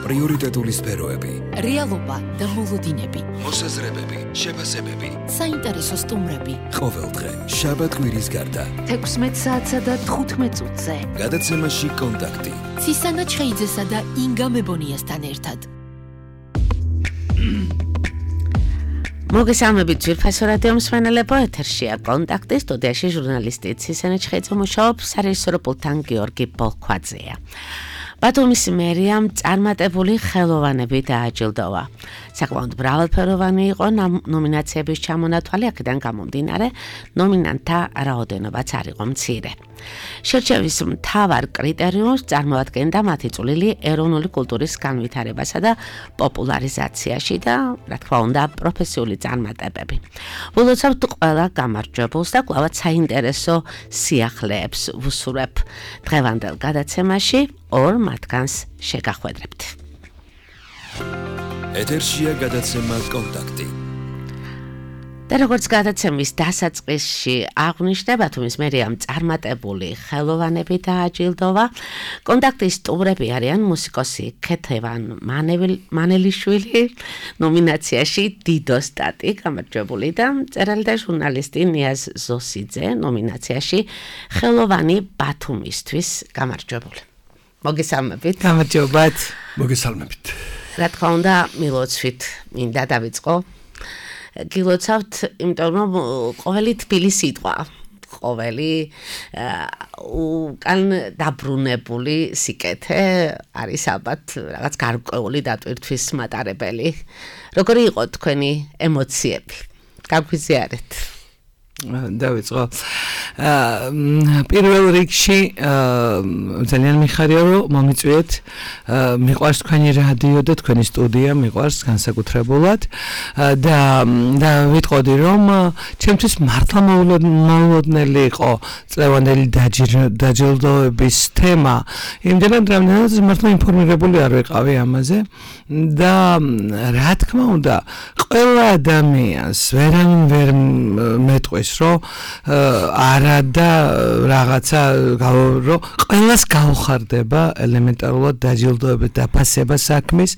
პრიორიტეტული სფეროები, რეალობა და მოლოდინები, მოსაზრებები, შეფასებები, საინტერესო სტუმრები. ყოველდღე შაბათ კვირის გარდა 16 საათსა და 15 წუთზე. გადაცემაში კონტაქტი. ცისანა ჩხეიძესა და ინგა მებონიასთან ერთად. მოგესალმებით ძვირფასო რადიო მსმენელებო, ეთერშია კონტაქტი, სტუდიაში ჟურნალისტი ცისანა ჩხეიძე მუშაობს, სარეჟისორო პულტთან გიორგი ბოლქვაძეა. ბათუმის მერიამ წარმატებული ხელოვანები დააჯილდოვა. საკმაოდ მრავალფეროვანი იყო ნომინაციების ჩამონათვალი, აქედან გამომდინარე, ნომინანტთა რაოდენობაც არ იყო მცირე. შერჩევის მთავარ კრიტერიუმს წარმოადგენდა მათი წვლილი ეროვნული კულტურის განვითარებასა და პოპულარიზაციაში და, რა თქმა უნდა, პროფესიული წარმატებები. ვილოცავთ ყველა გამარჯვებულს და კვლავაც საინტერესო სიახლეებს ვუსურვებ დღევანდელ გადაცემაში. ორ მათგანს შეგახვედრებთ. ეთერშია გადაცემა კონტაქტი. და როგორც გადაცემის დასაწყისში აღვნიშნე, ბათუმის მერიამ წარმატებული ხელოვანები დააჯილდოვა. კონტაქტის სტუმრები არიან მუსიკოსი ქეთევან მანელიშვილი ნომინაციაში დიდო სტატი გამარჯვებული და მწერალი და ჟურნალისტი ნიაზ ზოსიძე ნომინაციაში ხელოვანი ბათუმისთვის გამარჯვებული. მოგესალმებით. გამარჯობათ. მოგესალმებით. რა თქმა უნდა, მილოცვით მინდა დავიწყო. გილოცავთ, იმიტომ რომ ყოველი თბილი სიტყვა, ყოველი უკან დაბრუნებული სიკეთე არის ალბათ რაღაც გარკვეული დატვირთვის მატარებელი. როგორი იყო თქვენი ემოციები? გაგვიზიარეთ. დავიწყო. პირველ რიგში ძალიან მიხარია, რომ მომიწვიეთ. მიყვარს თქვენი რადიო და თქვენი სტუდია, მიყვარს განსაკუთრებულად და ვიტყოდი, რომ ჩემთვის მართლა მოულოდნელი იყო წლევანდელი დაჯილდოების თემა. იმდენად რამდენადაც მართლა ინფორმირებული არ ვიყავი ამაზე და რა თქმა უნდა, ყველა ადამიანს ვერავინ ვერ მეტყვის, რომ არა და რაღაცა რომ ყველას გაუხარდება ელემენტარულად დაჯილდოება და დაფასება საქმის,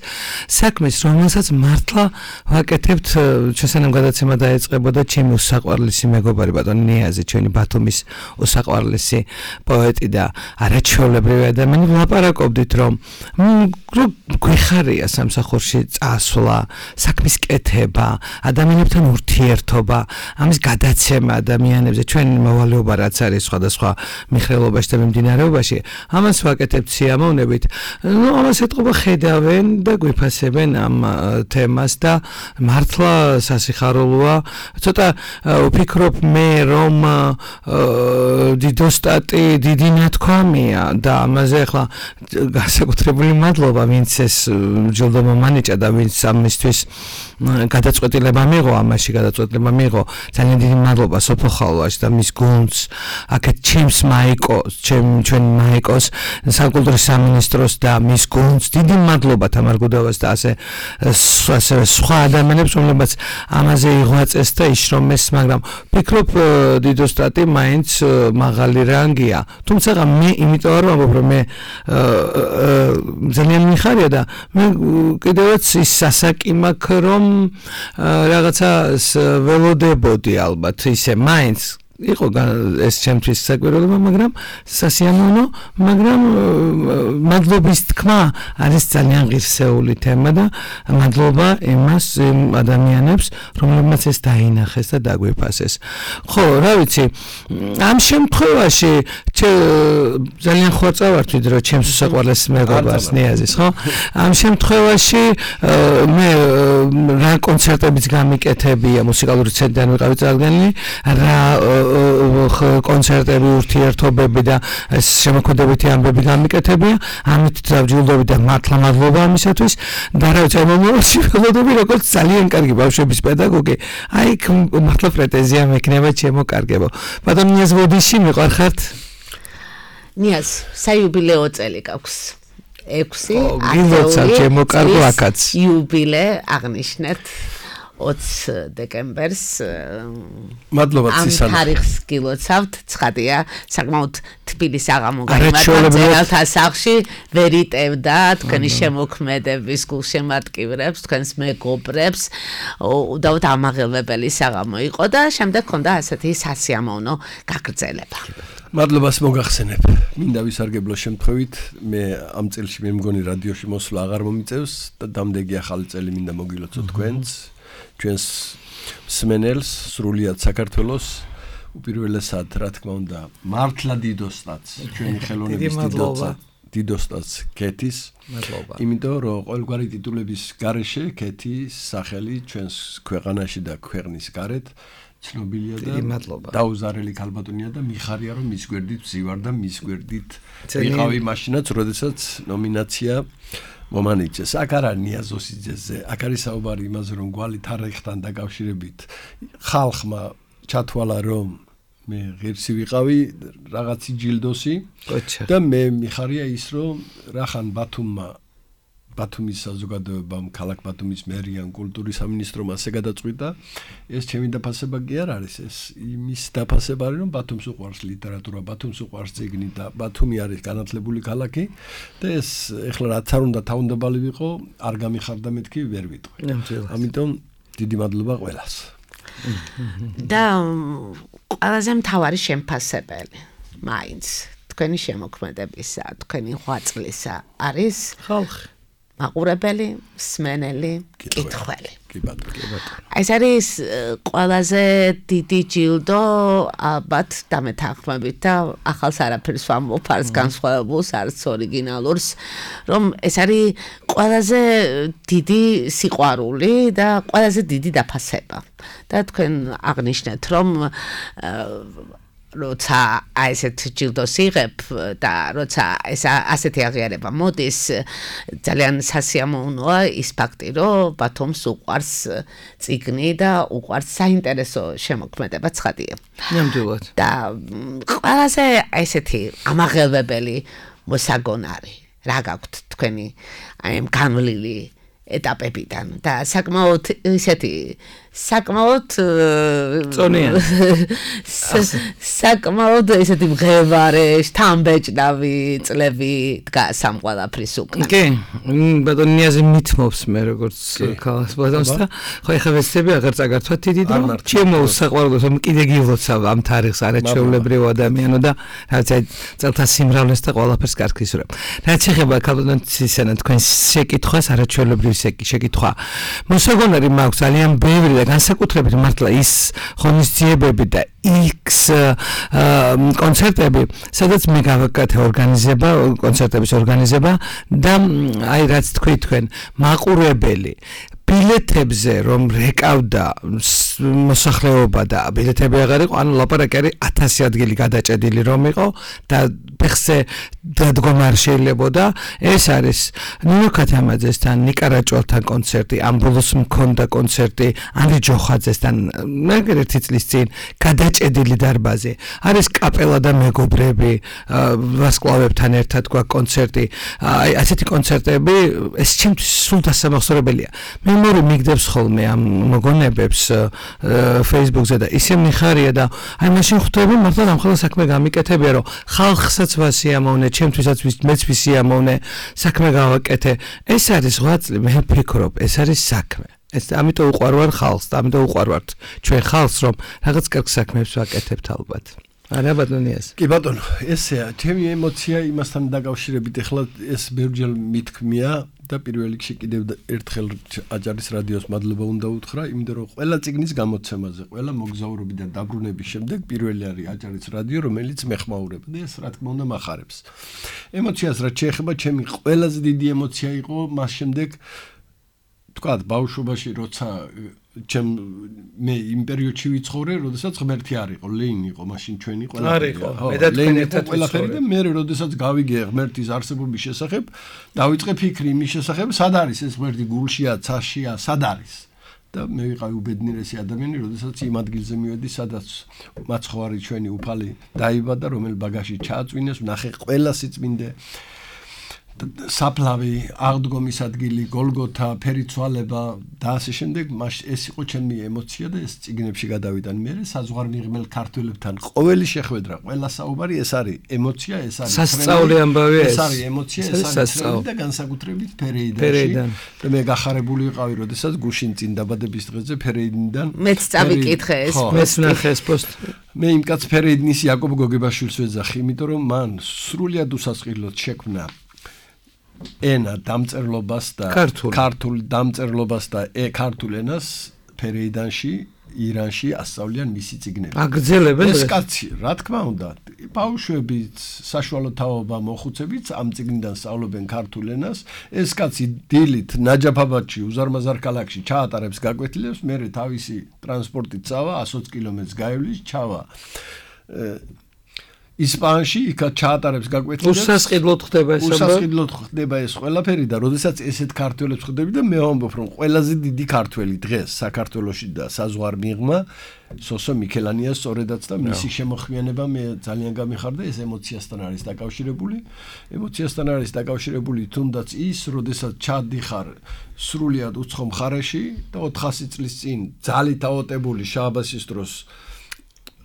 რომელსაც მართლა ვაკეთებთ. ჩვენსანამ გადაცემა დაეწყებოდა ჩემი უსაყვარლესი მეგობარი ბატონი ნიაზი, ჩვენი ბათუმის უსაყვარლესი პოეტი და არაჩვეულებრივი ადამიანი, ვლაპარაკობდით, რომ გვიხარია სამსახურში წასვლა, საქმის კეთება, ადამიანებთან ურთიერთობა, ამის გადაცემა ადამიანებზე, ჩვენი მოვალეობა რაც არის სხვადასხვა მიხრელობაში და მიმდინარეობაში, ამას ვაკეთებთ სიამოვნებით. ამას ეთყობა ხედავენ და გვიფასებენ ამ თემას და მართლა სასიხარულოა. ცოტა ვფიქრობ მე, რომ დიდო სტატი დიდი ნათქვამია და ამაზე ახლა განსაკუთრებული მადლობა, ვინც ეს ჯილდო მომანიჭა და ვინც ამისთვის გადაწყვეტილება მიიღო, ამაში გადაწყვეტილება მიიღო. ძალიან დიდი მადლობა სოფო ხალვაში და მის გუნდს, აქეთ ჩემს მაიკოს, ჩვენ მაიკოს, საკულტურის სამინისტროს და მის გუნდს. დიდი მადლობა თამარ გუდავას და ასე სხვა ადამიანებს, რომლებიც ამაზე იღვაწეს და იშრომეს, მაგრამ ვფიქრობ დიდო სტატი მაინც მაღალი რანგია. თუმცა მე იმიტომ არ ვამბობ, რომ მე ძალიან მიხარია და მე კიდევაც ის სასაკი მაქვს, რომ რაღაცა ველოდებოდი ალბათ ისე მაინც იყო ეს ჩემთვის საკვირველობა, მაგრამ სასიამოვნო, მაგრამ მადლობის თქმა არის ძალიან ღირსეული თემა და მადლობა იმას ადამიანებს, რომლებმაც ეს დაინახეს და დაგვიფასეს. ხო, რა ვიცი, ამ შემთხვევაში ძალიან ხოწავართ, რომ ჩემს უსაყვარლეს მეგობარს ნიაზის, ხო? ამ შემთხვევაში მე რა კონცერტებიც გამიკეთებია, მუსიკალური ცენტრიდან ვიყავი წარდგენილი, რა კონცერტები, ურთიერთობები და შემოქმედებითი ამბები გამიკეთებია. ამით დავჯილდოვდი და მართლა მადლობა ამისათვის. და რა ვიცი, მომავალში ველოდები როგორც ძალიან კარგი ბავშვების პედაგოგი. აი, მართლა პრეტენზია მექნება ჩემო-კარგებო. ბატონ ნიაზ ვოდიში მიყვარხართ? ნიაზ, საიუბილეო წელი გაქვს. 6 გილოცავ ჩემო-კარგო აქაც. იუბილე აღნიშნეთ. 20 დეკემბერს მადლობა ცისანა. ამ თარიღს გილოცავთ, ცხადია, საკმაოდ თბილი საღამო გაიმართა მწერალთა სახლში, ვერ იტევდა თქვენი შემოქმედების გულშემატკივრებს, თქვენს მეგობრებს, უდავოდ ამაღელვებელი საღამო იყო და შემდეგ ჰქონდა ასეთი სასიამოვნო გაგრძელება. მადლობას მოგახსენებ. მინდა ვისარგებლო შემთხვევით, მე ამ წელში მე მგონი რადიოში მოსვლა აღარ მომიწევს და დამდეგი ახალი წელი მინდა მოგილოცო თქვენს, ჩვენს მსმენელს, სრულიად საქართველოს, უპირველესად, რა თქმა უნდა, მართლა დიდოსტაც, ჩვენი ხელოვნების დიდოსტაც ქეთის. მადლობა. იმიტომ რომ ყოველგვარი ტიტულების გარეშე ქეთის სახელი ჩვენს ქვეყანაში და ქვეყნის გარეთ ცნობილია და დაუზარელი ქალბატონია და მიხარია რომ მის გვერდით ვზივარ და მის გვერდით ვიყავი მაშინაც, როდესაც ნომინაცია მომანიჭეს. აქ არა ნიაზოსიძეზე, აქ არის საუბარი იმაზე რომ გვალი თარიღთან დაკავშირებით ხალხმა ჩათვალა რომ მე ღირსი ვიყავი რაღაცი ჯილდოსი და მე მიხარია ის რომ რახან ბათუმის საზოგადოებამ ქალაქ ბათუმის მერიან კულტურის სამინისტრომ ასე გადაწყვიტა ეს ჩემი დაფასება კი არ არის ეს იმის დაფასება არის რომ ბათუმს უყვარს ლიტერატურა ბათუმს უყვარს წიგნი და ბათუმი არის განათლებული ქალაქი და ეს ეხლა რაც არ უნდა თავუნდაბალი ვიყო არ გამიხარდა მეთქი ვერ ვიტყვი ამიტომ დიდი მადლობა ყველას და ყველაზე მთავარი შემფასებელი მაინც თქვენი შემოქმედებისა თქვენი ღვაწლისა არის ხალხი მაყურებელი, მსმენელი, კითხველი. კი ბატონო. ეს არის ყველაზე დიდი ჯილდო, ალბათ დამეთანხმებით და ახალს არაფერს ვამბობ, არც განსხვავებულს, არც ორიგინალურს, რომ ეს არის ყველაზე დიდი სიყვარული და ყველაზე დიდი დაფასება. და თქვენ აღნიშნეთ, რომ როცა ასეთ ჯილდოს იღებ და როცა ეს ასეთი აღიარება მოდის ძალიან სასიამოვნოა ის ფაქტი რომ ბათუმს უყვარს წიგნი და უყვარს საინტერესო შემოქმედება ცხადია. ნამდვილად. და ყველაზე ესეთი ამაღელვებელი მოსაგონარი რა გაქვთ თქვენი აი ამ განვლილი ეტაპებიდან და საკმაოდ ისეთი საკმაოდ წონიანი საკმაოდ ესეთი მღებარე შთამბეჭდავი წლები დგას ამ ყველაფრის უკან. კი, ბატონი ნიაზი მithმობს მე როგორც ქალს ბატონს და ხო ეხლა ვეცდები აღარ წაგართვათ დიდი და ჩემო საყვარელო რომ კიდე გილოცავ ამ თარიღს არაჩვეულებრივ ადამიანო და რაც აი წელთა სიმრავლეს და ყველაფერს კარგის ვარ. რაც ეხება ქალბატონ ცისანა თქვენ შეკითხვას არაჩვეულებრივ შეკითხვა. მოსაგონარი მაქვს ძალიან ბევრი და განსაკუთრებით მართლა ის ღონისძიებები და X კონცერტები, სადაც მე გავაკეთე კონცერტების ორგანიზება და აი რაც თქვი თქვენ მაყურებელი ბილეთებზე რომ რეკავდა მოსახლეობა და ბილეთები აღარ იყო, ანუ ლაპარაკი არის 1000 ადგილი გადაჭედილი რომ იყო და ფეხზე დადგომა არ შეიძლებოდა. ეს არის ნინო ქათამაძესთან, ნიკა რაჭვალთან კონცერტი, ამ ბოლოს მქონდა კონცერტი ანდრე ჯოხაძესთან, ერთი წლის წინ გადაჭედილი დარბაზი. არის კაპელა და მეგობრები, ვარსკვლავებთან ერთად გვაქვს კონცერტი. აი ასეთი კონცერტები ეს ჩემთვის სულ დასამახსოვრებელია. მე მორე მიგდებს ხოლმე ამ მოგონებებს Facebook-ზე და ისე მიხარია და აი მაშინ ხვდები მართლა ამხელა საქმე გამიკეთებია რომ ხალხსაც ვასიამოვნე, ჩემთვისაც მეც ვისიამოვნე, საქმე გავაკეთე. ეს არის ღვაწლი, მე ვფიქრობ, ეს არის საქმე. ეს ამიტომ უყვარვარ ხალხს, ამიტომ უყვარვართ ჩვენ ხალხს რომ რაღაც კარგ საქმეებს ვაკეთებთ ალბათ. არა ბატონიას. კი ბატონო, ესეა, ჩემი ემოცია იმასთან დაკავშირებით ეხლა ეს ბევრჯერ მithქმია და პირველ რიგში კიდევ ერთხელ აჯარის რადიოს მადლობა უნდა უთხრა, იმიტომ რომ ყველა წიგნის გამოცემაზე, ყველა მოგზაურობიდან დაბრუნების შემდეგ პირველი არის აჯარის რადიო, რომელიც მეხმაურება და ეს რა თქმა უნდა მახარებს. ემოციას რაც შეეხება, ჩემი ყველაზე დიდი ემოცია იყო მას შემდეგ თქვათ ბავშვობაში როცა მე იმ პერიოდში ვიცხოვრე, როდესაც ღმერთი არ იყო, ლეინი იყო, მაშინ ჩვენი ყველაფერი. მე და თქვენ ერთად ყველაფერი და მე როდესაც გავიგე ღმერთის არსებობის შესახებ, დავიწყე ფიქრი იმის შესახებ, სად არის ეს ღმერთი, გულშია, ცაშია, სად არის? და მე ვიყავი უბედნიერესი ადამიანი, როდესაც იმ ადგილზე მივედი, სადაც მაცხოვარი ჩვენი უფალი დაიბადა, რომელ ბაგაში ჩააწვინეს, ვნახე ყველა სიწმინდე საფლავი, აღდგომის ადგილი, გოლგოთა, ფერიცვალება და ასე შემდეგ, ეს იყო ჩემი ემოცია და ეს წიგნებში გადავიდა. მე საზღვარმიღმელ ქართველებთან ყოველი შეხვედრა, ყველა საუბარი ეს არის ემოცია, ეს არის სასწაული ამბავია ეს არის ემოცია, ეს არის და განსაკუთრებით ფერეიდანში. და მე გახარებული ვიყავი, როდესაც გუშინ წინ დაბადების დღეზე ფერეიდნიდან მეც წავიკითხე ეს. მეც ნახე ეს პოსტი. მე იმ კაც ფერეიდნის იაკობ გოგებაშვილს ვეძახი, იმიტომ რომ მან სრულიად უსასყიდლოდ შექმნა ენა დამწერლობას და ქართულ დამწერლობას და ქართულ ენას ფერეიდანში, ირანში ასწავლიან მისი წიგნები. აგრძელებენ ეს კაცი, რა თქმა უნდა, ბავშვებიც, საშუალო თაობა მოხუცებიც ამ წიგნიდან სწავლობენ ქართულ ენას. ეს კაცი დილით ნაჯაფაბადში, უზარმაზარ ქალაქში ჩაატარებს გაკვეთილებს, მერე თავისი ტრანსპორტით წავა 120 კილომეტრს გაივლის, ჩავა ისპანიაში, იქაც ჩაატარებს გაკვეთილებს. უსასყიდლოდ ხდება ეს. უსასყიდლოდ ხდება ეს ყველაფერი და როდესაც ესეთ ქართველებს ხვდები და მე ვამბობ, რომ ყველაზე დიდი ქართველი დღეს საქართველოში და საზღვარმიღმა სოსო მიქელანია სწორედაც და მისი შემოხმიანება მე ძალიან გამიხარდა, ეს ემოციასთან არის დაკავშირებული. ემოციასთან არის დაკავშირებული თუნდაც ის, როდესაც ჩადიხარ სრულიად უცხო მხარეში და 400 წლის წინ ძალით აოტებული შააბასის დროს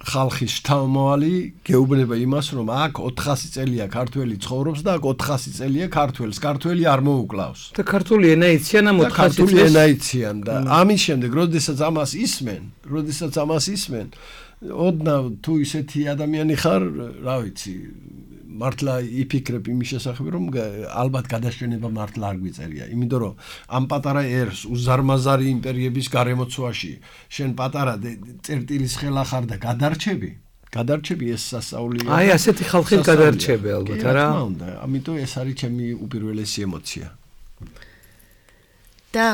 ხალხის შთამომავალი გეუბნება იმას, რომ აქ 400 წელია ქართველი ცხოვრობს და აქ 400 წელია ქართველს, ქართველი არ მოუკლავს. და ქართული ენა იციან ამ 400 წელს. ქართული ენა იციან და ამის შემდეგ, როდესაც ამას ისმენ, ოდნავ თუ ისეთი ადამიანი ხარ, რა ვიცი, მართლა იფიქრებ იმის შესახებ, რომ ალბათ გადაშენება მართლა არ გვიწერია, იმიტომ რომ ამ პატარა ერს უზარმაზარი იმპერიების გარემოცვაში შენ პატარა წერტილის ხელა ხარ და გადარჩები ეს სასწაულია. აი ასეთი ხალხი გადარჩები ალბათ, არა? რა თქმა უნდა, ამიტომ ეს არის ჩემი უპირველესი ემოცია. და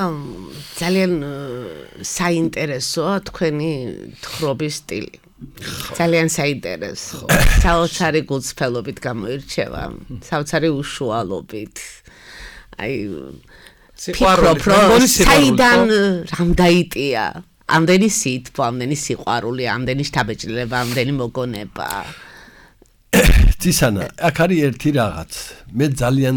ძალიან საინტერესოა თქვენი თხრობის სტილი. ძალიან საინტერესო. საოცარი გულწრფელობით გამოირჩევა, საოცარი უშუალობით. აი სიყვარული, საიდან რამ დაიტია? ამდენი სითბო, ამდენი სიყვარული, ამდენი შთაბეჭდილება, ამდენი მოგონება. ცისანა, აქ არის ერთი რაღაც. მე ძალიან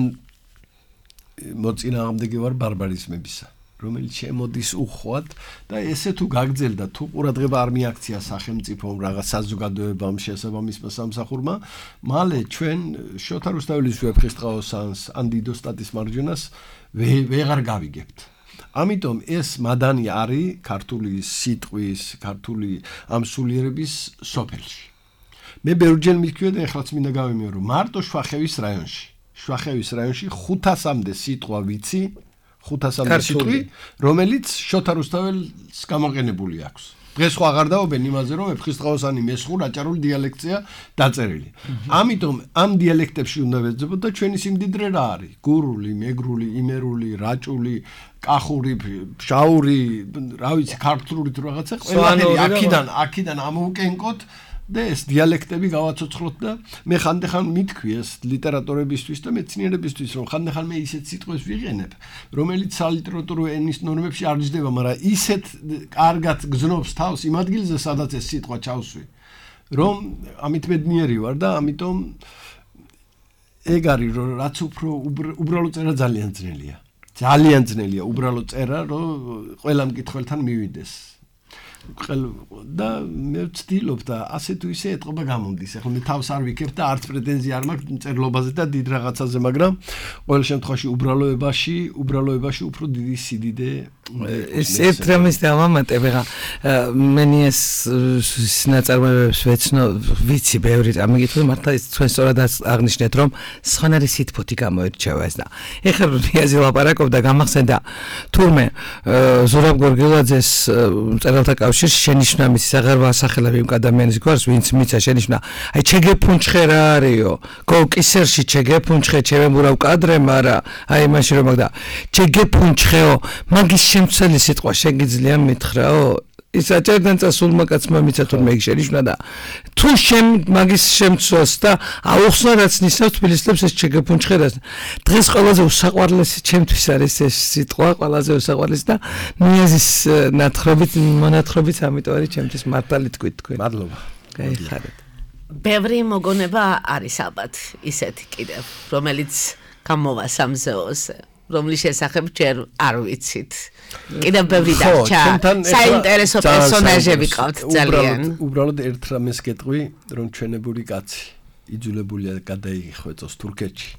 მოწინააღმდეგე ვარ ბარბარიზმებისა, რომელიც შემოდის უხვად და ესე თუ გაგძელდა, თუ ყურადღება არ მიაქცია სახელმწიფომ, რაღაც საზოგადოებამ, შესაბამისმა სამსახურმა, მალე ჩვენ შოთა რუსთაველის ვეფხისტყაოსანს, ან დიდო სტატის მარჯვენას ვეღარ გავიგებთ. ამიტომ ეს მადანი არის ქართული სიტყვის, ქართული ამ სულიერების სოფელში. მე ბევრჯერ მithქვია და ეხლაც მინდა გავიმეორო, მარტო შვახევის რაიონში 500-მდე სიტყვა ვიცი, 500-მდე სიტყვი, რომელიც შოთა რუსთაველს გამოყენებული აქვს. დღეს ხო აღარ დაობენ იმაზე, რომ ვეფხისტყაოსანი მესხურ აჭარულ დიალექტია დაწერილი. ამიტომ ამ დიალექტებში უნდა ვეძებოთ და ჩვენი სიმდიდრე რა არის? გურული, მეგრული, იმერული, რაჭული, კახური, შაური, რა ვიცი, ქართული თუ რაღაცა, ყველაფერი აქიდან ამოუკენკოთ და ეს დიალექტები გავაცოცხლოთ და მე ხანდახან მithქვი ეს ლიტერატურებისთვის და მეცნიერებისთვის, რომ ხანდახან მე ისეთ სიტყვებს ვიყენებ, რომელიც სალიტერატურო ენის ნორმებში არ იზრდება, მაგრამ ისეთ კარგად გზნობს თავს იმ ადგილზე, სადაც ეს სიტყვა ჩავსვი, რომ ამით ბედნიერი ვარ და ამიტომ ეგ არის, რომ რაც უფრო უბრალო წერა ძალიან ძნელია უბრალო წერა, რომ ყველა მკითხველთან მივიდეს. და მე ვცდილობ და ასე თუ ისე ეტყობა გამომდის. ახლა მე თავს არ ვიქებ და არც პრეტენზია არ მაქვს წერლობაზე და დიდ რაღაცაზე, მაგრამ ყოველ შემთხვევაში უბრალოებაში უფრო დიდი სიდიდე ეს ერთ რამის დავამატებ, ეხლა მენი ეს ნაწარმოებებს ვეცნო, ვიცი ბევრი ამიგითხრა, მართლა ეს თქვენ სწორად აღნიშნეთ, რომ სხვანაირი სითბოთი გამოირჩევა ეს და ეხლა რიაზი ლაპარაკობდა, გამახსენდა თურმე ზურაბ გორგილაძეს მწერალთა კავშირში შენიშვნა მისი საღარბა ასახელები იმ ადამიანის გვარს, ვინც მიცა შენიშვნა, აი ჩეგეფუნჩხე რა არისო, კისერში ჩეგეფუნჩხე ჩემებურავ კადრე, მაგრამ აი მაშინ რომ მაგდა ჩეგეფუნჩხეო, მაგის შემცველი სიტყვა შეგიძლია მითხრაო? ის აჭარიდან წასულმა კაცმა მიცა თურმე იგი შენიშვნა და თუ მაგის შემცველს და აუხსნა რაც ნისავს თბილისლებს ეს ჩეგეფუნჩხე და დღეს ყველაზე უსაყვარლესი ჩემთვის არის ეს სიტყვა, ყველაზე უსაყვარლესი და ნიაზის მონათხრობით ამიტომ არის ჩემთვის მართალი თქვით თქვენ. მადლობა. გაიხარეთ. ბევრი მოგონება არის ალბათ ისეთი კიდევ, რომელიც გამოვა სამზეოზე, რომლის შესახებ ჯერ არ ვიცით. კიდევ ბევრი დარჩა. საინტერესო პერსონაჟები ყავთ ძალიან. უბრალოდ ერთ რამეს გეტყვი, რომ ჩვენებული კაცი იძულებულია გადაიხვეწოს თურქეთში.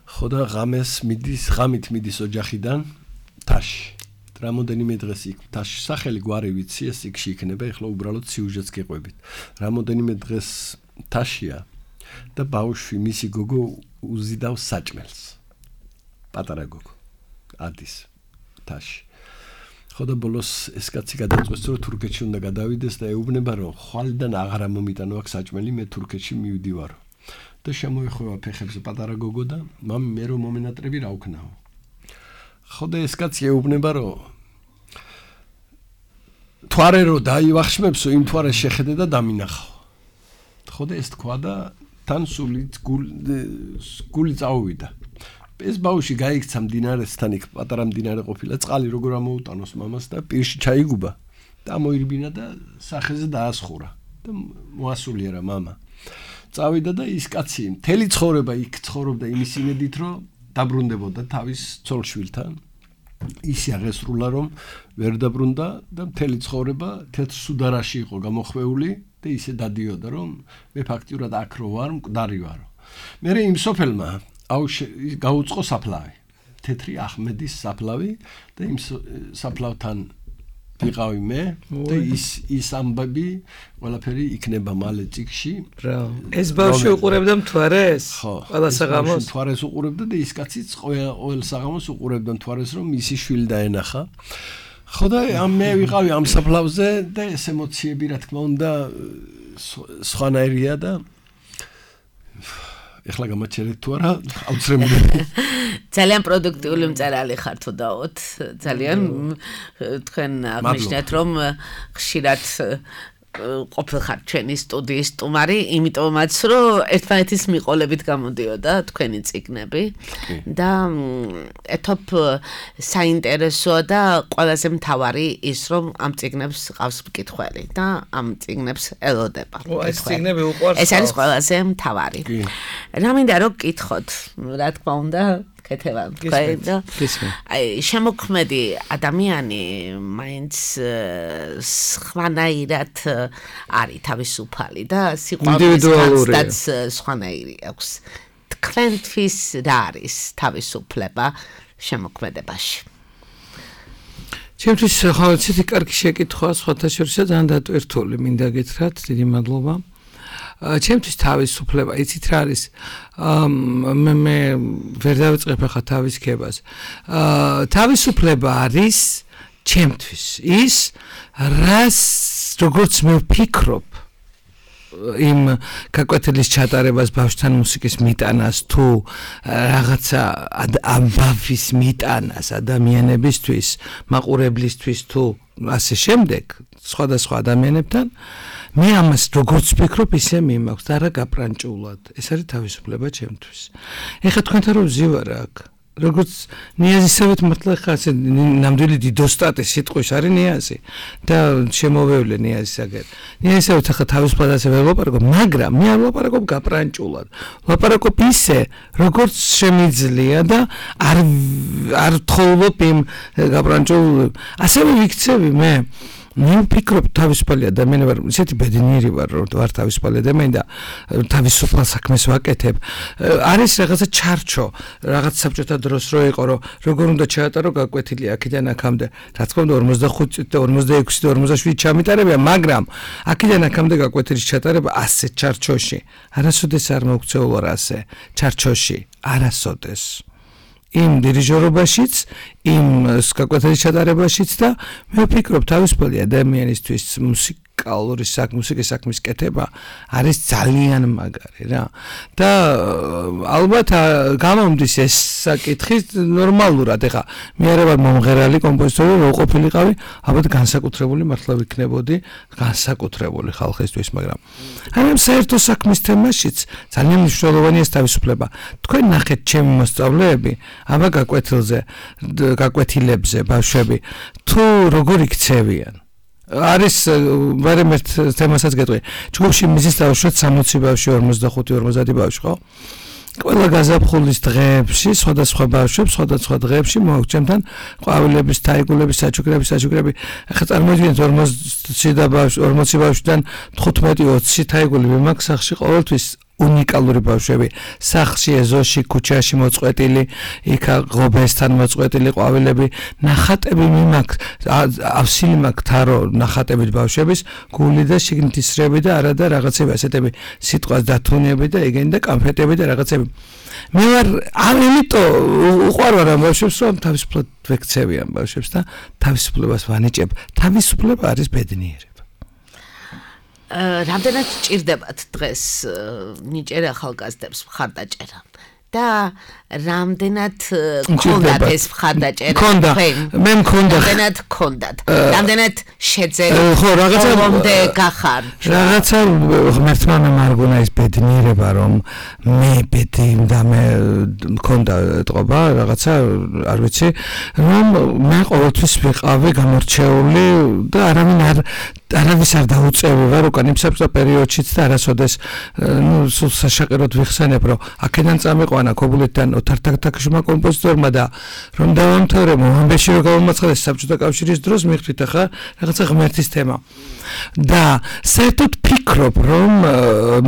ხო და ღამით მიდის ოჯახიდან თაში. რამოდენიმე დღეს იქ თაში სახელი გვარი ვიცი, ეს იქში იქნება, ეხლა უბრალოდ სიუჟეტს გეყვებით. რამოდენიმე დღეს თაშია და ბავშვი მისი გოგო უზიდავს საჭმელს. პატარა გოგო ადის თაში. ხო და ბოლოს ეს კაცი გადაწყვეტს, რომ თურქეთში უნდა გადავიდეს და ეუბნება, რომ ხვალიდან აღარ მომიტანო აქ საჭმელი, მე თურქეთში მივდივარო. და შემოეხვევა ფეხებზე პატარა გოგო და მამი მე რომ მომენატრები რა ვქნაო. ხო და ეს კაცი ეუბნება, რომ თვარე რო დაივახშმებსო, იმ თვარეს შეხედე და დამინახავ. ხო და ეს თქვა და თან გული წაუვიდა. ეს ბავშვი გაიქცა მდინარესთან, იქ პატარა მდინარე ყოფილა, წყალი როგორ ამოუტანოს მამას და პირში ჩაიგუბა და მოირბინა და სახეზე დაასხურა და მოასულიერა მამა. წავიდა და ის კაცი მთელი ცხოვრება იქ ცხოვრობდა იმის იმედით, რომ დაბრუნდებოდა თავის ცოლშვილთან. ისი აღესრულა, რომ ვერ დაბრუნდა და მთელი ცხოვრება თეთრ სუდარაში იყო გამოხვეული და ისე დადიოდა, რომ მე ფაქტიურად აქ რო ვარ, მკვდარი ვარო. მერე იმ სოფელმა გაუწყო საფლავი, თეთრი ახმედის საფლავი და იმ საფლავთან ვიყავი მე და ის ამბები ყველაფერი იქნება მალე წიგში. ეს ბავშვი უყურებდა მთვარეს? ყველა საღამოს მთვარეს უყურებდა და ის კაციც ყოველ საღამოს უყურებდა მთვარეს, რომ მისი შვილი დაენახა. ხო და მე ვიყავი ამ საფლავზე და ეს ემოციები რა თქმა უნდა სხვანაირია და ეხლა გამაჩერეთ თუ არა, აუცილებლად. ძალიან პროდუქტიული მწერალი ხართ უდაოდ. ძალიან თქვენ აღნიშნეთ, რომ ხშირად ყოფილხართ ჩვენი სტუდიის სტუმარი, იმიტომაც რომ ერთმანეთის მიყოლებით გამოდიოდა თქვენი წიგნები და ეთოფ საინტერესოა და ყველაზე მთავარი ის, რომ ამ წიგნებს ყავს მკითხველი და ამ წიგნებს ელოდება. ეს წიგნები უყვარს. ეს არის ყველაზე მთავარი. რა მინდა რომ გკითხოთ, რა თქმა უნდა, კეთებამ თქვა. აი, შემოქმედი ადამიანი მაინც სხვანაირად არის თავისუფალი და სიყვარულიც სხვანაირი აქვს. თქვენთვის რა არის თავისუფლება შემოქმედებაში? ჩემთვის ხო ცეთი კარგი შეკითხვა, სხვათა შორისაა ძალიან დატვირთული, მინდა გითხრათ, დიდი მადლობა. ჩემთვის თავისუფლება, იცით რა არის? მე ვერ დავიწყებ ახლა თავის ქებას. თავისუფლება არის ჩემთვის ის, რას როგორც მე ვფიქრობ იმ გაკვეთილის ჩატარებას, ბავშვთან მუსიკის მიტანას თუ რაღაცა ამბავის მიტანას ადამიანებისთვის, მაყურებლისთვის თუ ასე შემდეგ, სხვადასხვა ადამიანებთან მე ამას როგორც ვფიქრობ, ისე მიმაქვს და არა გაპრანჭულად. ეს არის თავისუფლება ჩემთვის. ეხლა თქვენთან რომ ვზივარ აქ, როგორც ნიაზისავით მართლა ხა ასე ნამდვილი დიდოსტატი სიტყვის არის ნიაზი და შემოვევლე ნიაზისაგერ. ნიაზისავით ახლა თავისუფლად ასე ვერ ვლაპარაკობ, მაგრამ მე არ ვლაპარაკობ გაპრანჭულად. ვლაპარაკობ ისე, როგორც შემიძლია და არ თხოვლობ იმ გაპრანჭულ. ასევე ვიქცევი მე ვფიქრობ თავისუფალი ადამიანი ვარ, ისეთი ბედნიერი ვარ, რომ ვარ თავისუფალი ადამიანი და თავისუფალ საქმეს ვაკეთებ. არის რაღაცა ჩარჩო, რაღაც საბჭოთა დროს რო იყო, რომ როგორ უნდა ჩაატარო გაკვეთილი აქედან აქამდე. რა თქმა უნდა 45 და 46 და 47 ჩამიტარებია, მაგრამ აქედან აქამდე გაკვეთილის ჩატარება ასე ჩარჩოში. არასოდეს არ მოგწეულო ასე ჩარჩოში, არასოდეს. იმ დირიჟორობაშიც, იმ გაკვეთილის ჩატარებაშიც და მე ვფიქრობ თავისუფალი ადამიანისთვის მუსიკის საქმის კეთება არის ძალიან მაგარი რა. და ალბათ გამომდის ეს საკითხი ნორმალურად. ეხა მე არ ვარ მომღერალი კომპოზიტორი, რო ყოფილიყავი, ალბათ განსაკუთრებული მართლა ვიქნებოდი, განსაკუთრებული ხალხისთვის, მაგრამ აი ამ საერთო საქმის თემაშიც ძალიან მნიშვნელოვანია ეს თავისუფლება. თქვენ ნახეთ ჩემი მოსწავლეები, აბა გაკვეთილებზე ბავშვები თუ როგორ იქცევიან. არის ვარემ ერთ თემასაც გეტყვი. ჯგუფში მიზის დავუშვათ 60 ბავშვი, 45-50 ბავშვი, ხო? ყველა გაზაფხულის დღეებში, სხვადასხვა ბავშვებს, სხვადასხვა დღეებში მოვაგჩემთან ყვავილების, თაიგულების, საჩუქრები. ახლა წარმოიდგინეთ 40 ბავშვიდან 15-20 თაიგულები მაქვს სახლში ყოველთვის უნიკალური ბავშვები. სახლში, ეზოში, ქუჩაში მოწყვეტილი, იქა ღობესთან მოწყვეტილი ყვავილები, ნახატები მიმაქვს, ავსილი მაქვს თარო ნახატებით ბავშვების, გული და შიგნით ისრები და არა და რაღაცები ასეთები, სიტყვას დათუნები და ეგენი და კანფეტები და რაღაცები. მე ვარ ამიტომ უყვარვარ ამ ბავშვებს, რომ თავისუფლად ვექცევი ამ ბავშვებს და თავისუფლებას ვანიჭებ. თავისუფლება არის ბედნიერება. რამდენად ჭირდებათ დღეს ნიჭიერი ახალგაზრდებს მხარდაჭერა და რამდენად გქონდათ ეს მხარდაჭერა მე მქონდა რამდენად გქონდათ რამდენად შეძენთ ხო რაღაცამდე გახარ რაღაცა ღმერთმა მემარგუნა ის ბედნიერება რომ მე ბედი და მე მქონდა ეთყობა რაღაცა არ ვიცი რომ მე ყოველთვის ვიყავი გამორჩეული და არავის არ დაუწევი ვარ უკან იმ საბჭოთა პერიოდშიც და არასოდეს სულ საშაყეროდ ვიხსენებ რომ აქედან წამიყვანა ქობულეთიდან ოთარ-თაქთაქიშვილმა კომპოზიტორმა და რომ დავამთავრე მომბეში რომ გავამაცხადეს საბჭოთა კავშირის დროს მიხვდით ახლა რაღაცა ღმერთის თემა და საერთოდ ფიქრობ რომ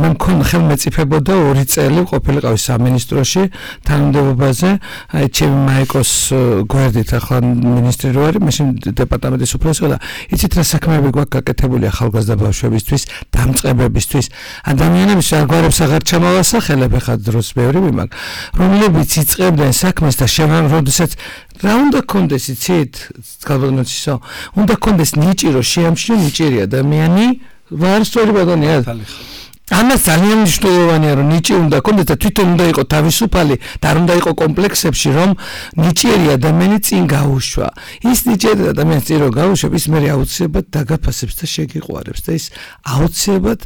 მე მქონდა ხელმეწიფებოდა 2 წელი ყოფილიყავი სამინისტროში თანამდებობაზე აი ჩემი მაიკოს გვერდით ახლა მინისტრი რო არის მაშინ დეპარტამენტის უფროსი და იცით რა საქმეები გვაქვს გაკეთებული ახალგაზრდა ბავშვებისთვის დამწყებებისთვის ადამიანებს არგვარებს აღარ ჩამოვასახელებ ახლა დროს ბევრი მიმაქვს რომლებიც იწყებდნენ საქმეს და შემამ როდესაც რა უნდა კონდეს იცით გალბანოცისო უნდა კონდეს ნიჭირო შეამჩნიო ნიჭიერი ადამიანი ვარ სწორი ბატონია ამას ძალიან მნიშვნელოვანია რომ ნიჭი უნდა კონდეს და თვითონ უნდა იყოს თავისუფალი და არ უნდა იყოს კომპლექსებში რომ ნიჭიერი ადამიანი წინ გაუშვა ის ნიჭიერი ადამიანი წინ რო გაუშვებს ის მე აუცილებლად დაგაფასებს და შეგიყვარებს და ის აუცილებლად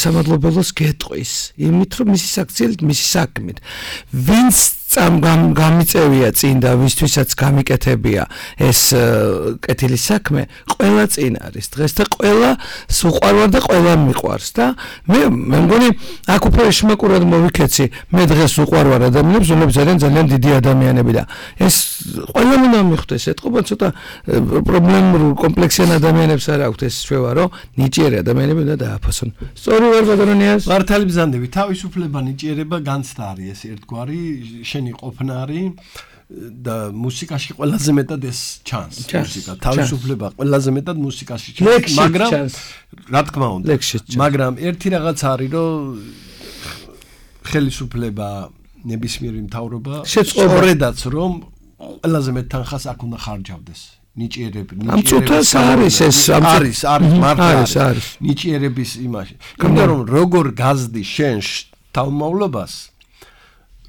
სამადლობელოს გეტყვის იმით რომ მისი საქციელით მისი საქმით ვინც გამიწევია წინ და ვისთვისაც გამიკეთებია ეს კეთილი საქმე ყველა წინ არის დღეს და ყველა სუყვარვარ და ყველა მიყვარს და მე მგონი აქ უფრო შმაკურად მოვიქეცი მე დღეს უყვარვარ ადამიანებს რომლებიც არიან ძალიან დიდი ადამიანები და ეს ყველა უნდა მიხვდეს ეთყობა ცოტა პრობლემურ კომპლექსიან ადამიანებს არ აქვთ ეს შევა რომ ნიჭიერი ადამიანები უნდა დააფასონ სწორი ვარ ბატონიას მართალი ბზანდები თავისუფლება ნიჭიერება განცდა არის ეს ერთგვარი შენი ყოფნა არის და მუსიკაში ყველაზე მეტად ეს ჩანს მუსიკა თავისუფლება ყველაზე მეტად მუსიკაში ჩანს მაგრამ რა თქმა უნდა მაგრამ ერთი რაღაც არის რომ ხელისუფლება ნებისმიერი მთავრობა სწორედაც რომ ყველაზე მეტ თანხას აქ უნდა ხარჯავდეს ნიჭიერები ამწუთას არის ეს არის მართლა ნიჭიერების იმაში იმიტომ რომ როგორ გაზდი შენ თავმოვლობას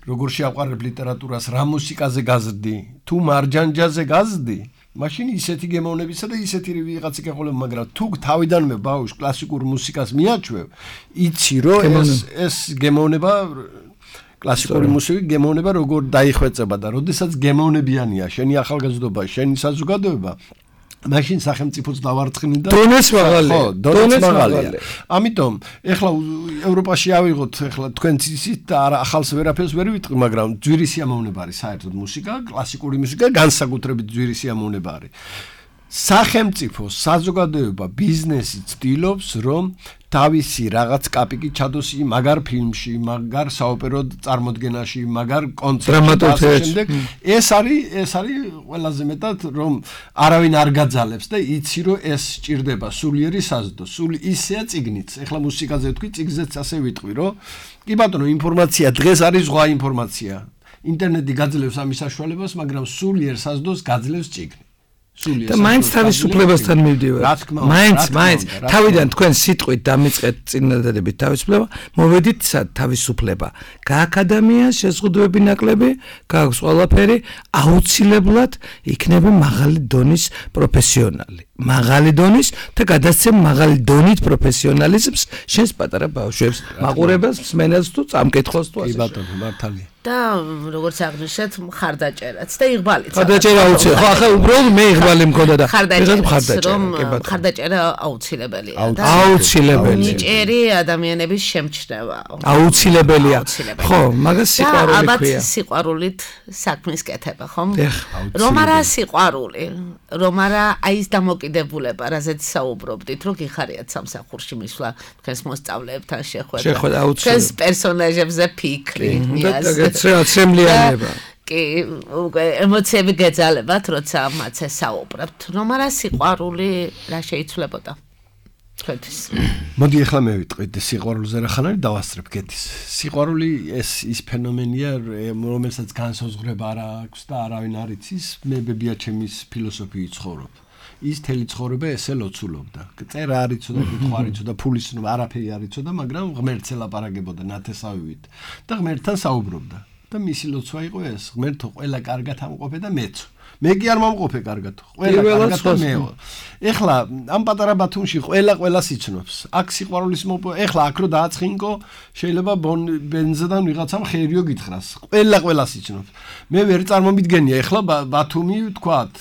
როგორ შეაყვარებ ლიტერატურას რა მუსიკაზე გაზრდი თუ მარჯანჯაზე გაზრდი მაშინ ისეთი გემოვნებისა და ისეთი ვიღაცი გეყოლებ მაგრამ თუ თავიდანვე ბავშვს კლასიკურ მუსიკას მიაჩვევ იცი რომ ეს გემოვნება კლასიკური მუსიკა გემოვნება როგორ დაიხვეწება და როდესაც გემოვნებიანია შენი ახალგაზრდობა შენი საზოგადოება მაშინ სახელმწიფოც დავარცხნი და დონეს მაღალია. ამიტომ ეხლა ევროპაში ავიღოთ ეხლა თქვენც ისიც და ახალს ვერაფერს ვერ ვიტყვი, მაგრამ ძვირი სიამოვნება არის საერთოდ მუსიკა, კლასიკური მუსიკა განსაკუთრებით ძვირი სიამოვნება არის. სახელმწიფო, საზოგადოება, ბიზნესი ცდილობს, რომ თავისი რაღაც კაპიკი ჩადოს მაგარ ფილმში, მაგარ საოპერო წარმოდგენაში, მაგარ კონცერტში. ეს არის ყველაზე მეტად რომ არავინ არ გაძალებს და იცი რომ ეს სჭირდება სულიერი საზდო. სული ისეა ციგნიც. ეხლა მუსიკაზე ვთქვი, ციგზეც ასე ვიტყვი, რომ კი ბატონო, ინფორმაცია დღეს არის ზღვა ინფორმაცია. ინტერნეტი გაძლევს ამის საშუალებას, მაგრამ სულიერ საზდოს გაძლევს ციგნი. და მაინც თავისუფლებასთან მივდივარ. მაინც თავიდან თქვენ სიტყვით დამიწყეთ წინადადებით თავისუფლება, მოვედით თავისუფლება. გააქვს ადამიანს შეზღუდვები ნაკლები, გააქვს ყველაფერი, აუცილებლად იქნება მაღალი დონის პროფესიონალი. მაღალი დონის და გადასცემ მაღალი დონით პროფესიონალიზმს შენს პატარა ბავშვებს, მაყურებელს, მსმენელს თუ წამკითხოს თუ ასე. კი ბატონო, მართალია. და როგორც აღნიშნეთ მხარდაჭერაც და იღბალიც. მხარდაჭერა აუცილებელი. ხო, ახლა უბრალოდ მე იღბალი მქონდა და მხარდაჭერა აუცილებელია და აუცილებელი. ნიჭიერი ადამიანების შემჩნევა. აუცილებელია. ხო, მაგას სიყვარული ალბათ ქვია. სიყვარულით საქმის კეთება, ხომ? რომ არა სიყვარული, რომ არა აი ეს დამოკიდებულება, რაზეც საუბრობდით, რომ გიხარიათ სამსახურში მისვლა, თქვენს მოსწავლეებთან შეხვედრა. თქვენს პერსონაჟებზე ფიქრი, ცრემლიანება. კი, უკვე ემოციები გეძალებათ, როცა მათზე საუბრობთ. რომ არა სიყვარული რა შეიცვლებოდა? თქვენთვის. მოდი ახლა მე ვიტყვით სიყვარულზე რა ხან არის დავასწრებ კეთის. სიყვარული ის ფენომენია, რომელსაც განსაზღვრება არ აქვს და არავინ არ იცის. მე ბებიაჩემის ფილოსოფიით ცხოვრობ. ის თელი ცხოვრება ესე ლოცულობდა. წერა არ იცოდა, კითხვა არ იცოდა, ფულის არაფერი არ იცოდა, მაგრამ ღმერთს ელაპარაკებოდა ნათესავით და ღმერთთან საუბრობდა. და მისი ლოცვა იყო ეს, ღმერთო, ყველა კარგად ამყოფე და მეც. მე კი არ მომყოფე კარგად. ყველა კარგად და მეო. ეხლა ამ პატარა ბათუმში ყველას იცნობს. აქ სიყვარულის ეხლა აქ რო დააცხინკო, შეიძლება ბენზიდან ვიღაცამ ხერიო გითხრას. ყველას იცნობს. მე ვერ წარმომიდგენია ეხლა ბათუმი თქვათ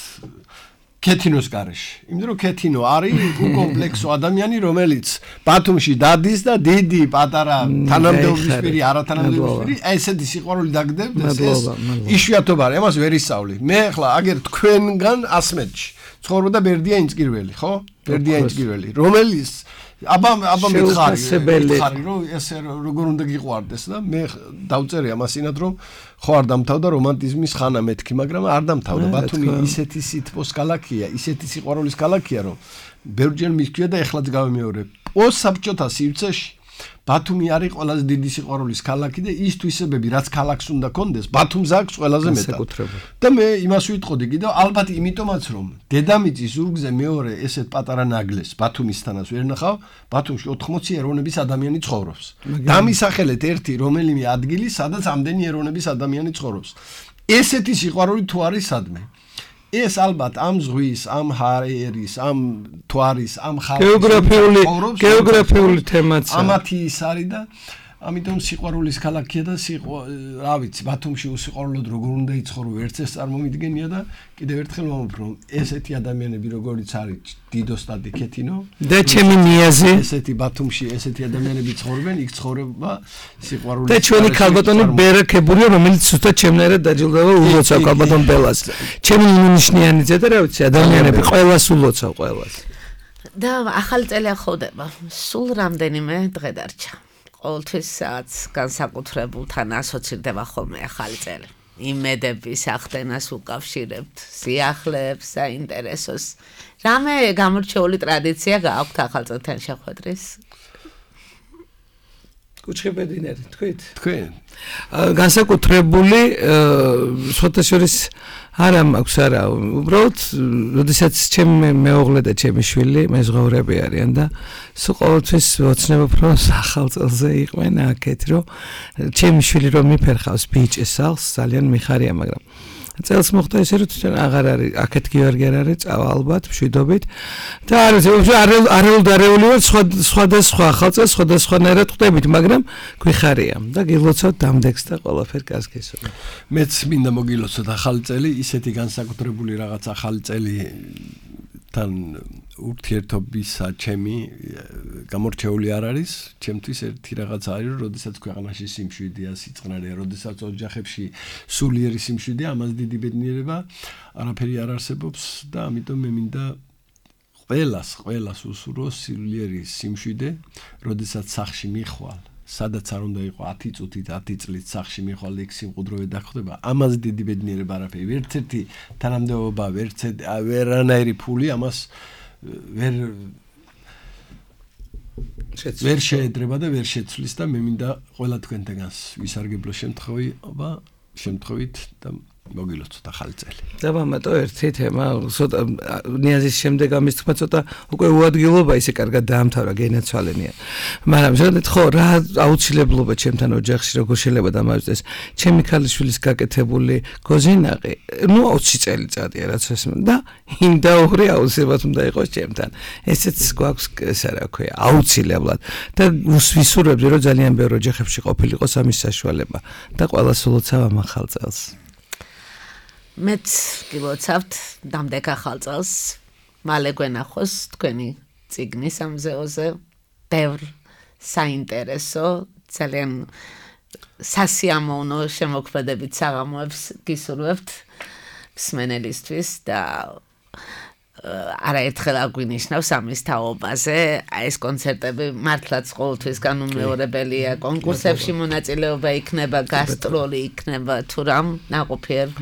ქეთინოს გარეშე. იმიტომ რომ ქეთინო არის უკომპლექსო ადამიანი, რომელიც ბათუმში დადის და დიდი, პატარა, თანამდებობისპირი, არათანამდებობისპირი, ესეთი სიყვარული დაგდებდეს, ეს იშვიათობა არის, ამას ვერ ისწავლი. მე ახლა აგერ თქვენგან 100 მეტრში ცხოვრობდა ბერდია ინჭკირველი, ხო? ბერდია ინჭკირველი, რომელიც აბა მითხარი რომ ესე როგორ უნდა გიყვარდეს და მე დავწერე ამასინად რომ ხო არ დამთავრდა რომანტიზმის ხანა მეთქი, მაგრამ არ დამთავრდა. ბათუმი ისეთი სითბოს ქალაქია, ისეთი სიყვარულის ქალაქია, რომ ბევრჯერ მისქვია და ეხლაც გავიმეორებ. პოსტსაბჭოთა სივრცეში ბათუმი არის ყველაზე დიდი სიყვარულის ქალაქი და ის თვისებები, რაც ქალაქს უნდა კონდეს, ბათუმს აქვს ყველაზე მეტად. და მე იმას ვიტყოდი კიდევ, ალბათ იმიტომაც რომ დედამიწის ზურგზე მეორე ესეთ პატარა ნაგლეს ბათუმისთანაც ვერ ნახავ, ბათუმში 80 ეროვნების ადამიანი ცხოვრობს. დამისახელეთ ერთი რომელიმე ადგილი, სადაც ამდენი ეროვნების ადამიანი ცხოვრობს. ესეთი სიყვარული თუ არის სადმე? ეს ალბათ ამ ზღვის, ამ ჰაერის, ამ თვარის, ამ ხალხის გეოგრაფიული თემაც ამათი ის არის და ამიტომ სიყვარულის ქალაქია და რა ვიცი, ბათუმში უსიყვარულოდ როგორ უნდა იცხოვრო, ვერც ეს წარმომიდგენია და კიდევ ერთხელ ვამბობ, რომ ესეთი ადამიანები როგორიც არის დიდოსტატი ქეთინო და ჩემი ნიაზი, ესეთი ბათუმში ესეთი ადამიანები ცხოვრობენ, იქ ცხოვრება სიყვარულის და ჩვენი ქალბატონი ბერაკებულია, რომელიც ზუსტად ჩემნაირად დაჯილდოება ულოცავ ქალბატონ ბელას. ჩემი ნიშნიანიძე და რა ვიცი, ადამიანები ყველას ულოცავ ყველას. და ახალი წელი ახალდება. სულ რამდენიმე დღე დარჩა. ყოველთვის განსაკუთრებულთან ასოცირდება ხოლმე ახალი წელი. იმედების ახდენას უკავშირებთ, სიახლეებს, საინტერესოს. რამე გამორჩეული ტრადიცია გააქვთ ახალ წელთან შეხვედრის? კუჩხებედინერი, თქვით? თქვენ. განსაკუთრებული სხვათა შორის არა მაქვს არა, უბრალოდ როდესაც ჩემი მეუღლე და ჩემი შვილი მეზღვაურები არიან და სულ ყოველთვის ვოცნებობ რომ ახალ წელზე იყვნენ აქეთ, რომ ჩემი შვილი რომ მიფერხავს ბიჭის სახლს, ძალიან მიხარია, მაგრამ წელს მოხდა ესე რომ თვითონ აღარ არის აქეთ გიორგი არ არის, წავა ალბათ მშვიდობით და არეული ვარ სხვადასხვა ახალ წელს სხვადასხვანაირად ხვდებით, მაგრამ გვიხარია და გილოცავთ დამდეგს და ყველაფერ კასკესო. მეც მინდა მოგილოცოთ ახალი წელი, ისეთი განსაკუთრებული რაღაც ახალი წელი თან ურთიერთობისა ჩემი გამორჩეული არ არის, ჩემთვის ერთი რაღაც არის, რომ როდესაც ქვეყანაში სიმშვიდეა, სიწყნარია, როდესაც ოჯახებში სულიერი სიმშვიდეა, ამას დიდი ბედნიერება არაფერი არ არსებობს და ამიტომ მე მინდა ყველას უსურვოს სულიერი სიმშვიდე, როდესაც სახლში მიხვალ, სადაც არ უნდა იყო 10 წუთით 10 წლით სახლში მიხვალ და იქ სიმყუდროვე დაგხვდება, ამას დიდი ბედნიერება არაფერი, ვერც ერთი თანამდებობა, ვერანაირი ფული ამას ვერ შეედრება და ვერ შეცვლის და მე მინდა ყველა თქვენთაგანს ვისარგებლო შემთხვევით და მოგილოცოთ ახალი წელი. დავამატო ერთი თემა, ცოტა ნიაზის შემდეგ ამის თქმა ცოტა უკვე უადგილობა ისე კარგად დაამთავრა გენაცვალენია. მაგრამ შეგდეთ ხო რა აუცილებლობა ჩემთან ოჯახში როგორ შეიძლება დამავიწყდეს ჩემი ქალიშვილის გაკეთებული გოზინაყი, 20 წელიწადია რაც ეს და იმ დაუღრი აუცილებლად უნდა იყოს ჩემთან. ესეც გვაქვს ესე რა ქვია, აუცილებლად და ვისურვებდი რომ ძალიან ბევრ ოჯახებში ყოფილიყოს ამის საშუალება და ყველას ულოცავ ამ ახალ წელს. მეც გილოცავთ დამდეგ ახალ წელს, მალე გვენახოს თქვენი წიგნის ამზეოზე, ბევრ საინტერესო, ძალიან სასიამოვნო შემოქმედებით საღამოებს გისურვებთ მსმენელისთვის და არაერთხელ აგვინიშნავს ამის თაობაზე, ეს კონცერტები მართლაც ყოველთვის განუმეორებელია, კონკურსებში მონაწილეობა იქნება, გასტროლი იქნება, თუ რამ ნაყოფიერ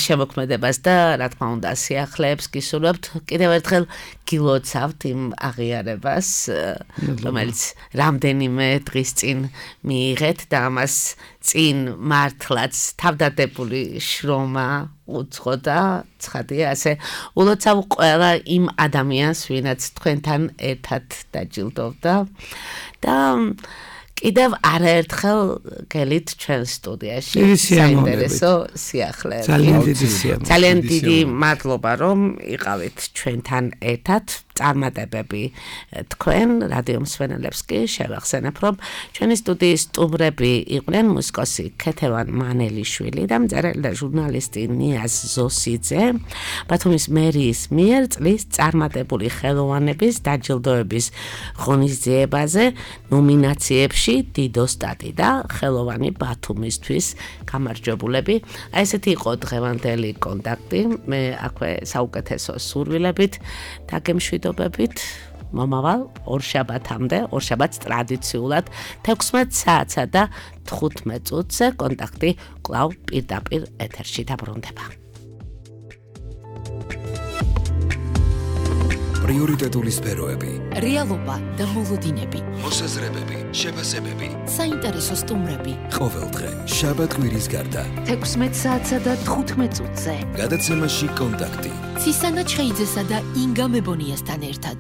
შემოქმედებას და რა თქმა უნდა სიახლეებს გისურვებთ, კიდევ ერთხელ გილოცავთ იმ აღიარებას, რომელიც რამდენიმე დღის წინ მიიღეთ და ამას წინ მართლაც თავდადებული შრომა უცხო და ცხადია, ასე ულოცავ ყველა იმ ადამიანს, ვინაც თქვენთან ერთად დაჯილდოვდა და კიდევ არაერთხელ გელით ჩვენ სტუდიაში საინტერესო სიახლეები. ძალიან დიდი მადლობა რომ იყავით ჩვენთან ერთად. წარმატებები თქვენ რადიო მსმენელებს კი შევახსენებ რომ ჩვენი სტუდიის სტუმრები იყვნენ მუსიკოსი ქეთევან მანელიშვილი და მწერალი და ჟურნალისტი ნიაზ ზოსიძე. ბათუმის მერიის მიერ წლის წარმატებული ხელოვანების დაჯილდოების ღონისძიებაზე ნომინაციებში დიდოსტატი და ხელოვანი ბათუმისთვის გამარჯვებულები. ესეთი იყო დღევანდელი კონტაქტი. მე აქვე საუკეთესო სურვილებით დაგემშვიდობებით მომავალ ორშაბათამდე, ორშაბათს ტრადიციულად 16 საათსა და 15 წუთზე კონტაქტი კვლავ პირდაპირ ეთერში დაბრუნდება. პრიორიტეტული სფეროები, რეალობა და მოლოდინები, მოსაზრებები, შეფასებები, საინტერესო სტუმრები. ყოველდღე შაბათ-კვირის გარდა 16 საათსა და 15 წუთზე გადაცემაში კონტაქტი ცისანა ჩხეიძესა და ინგა მებონიასთან ერთად.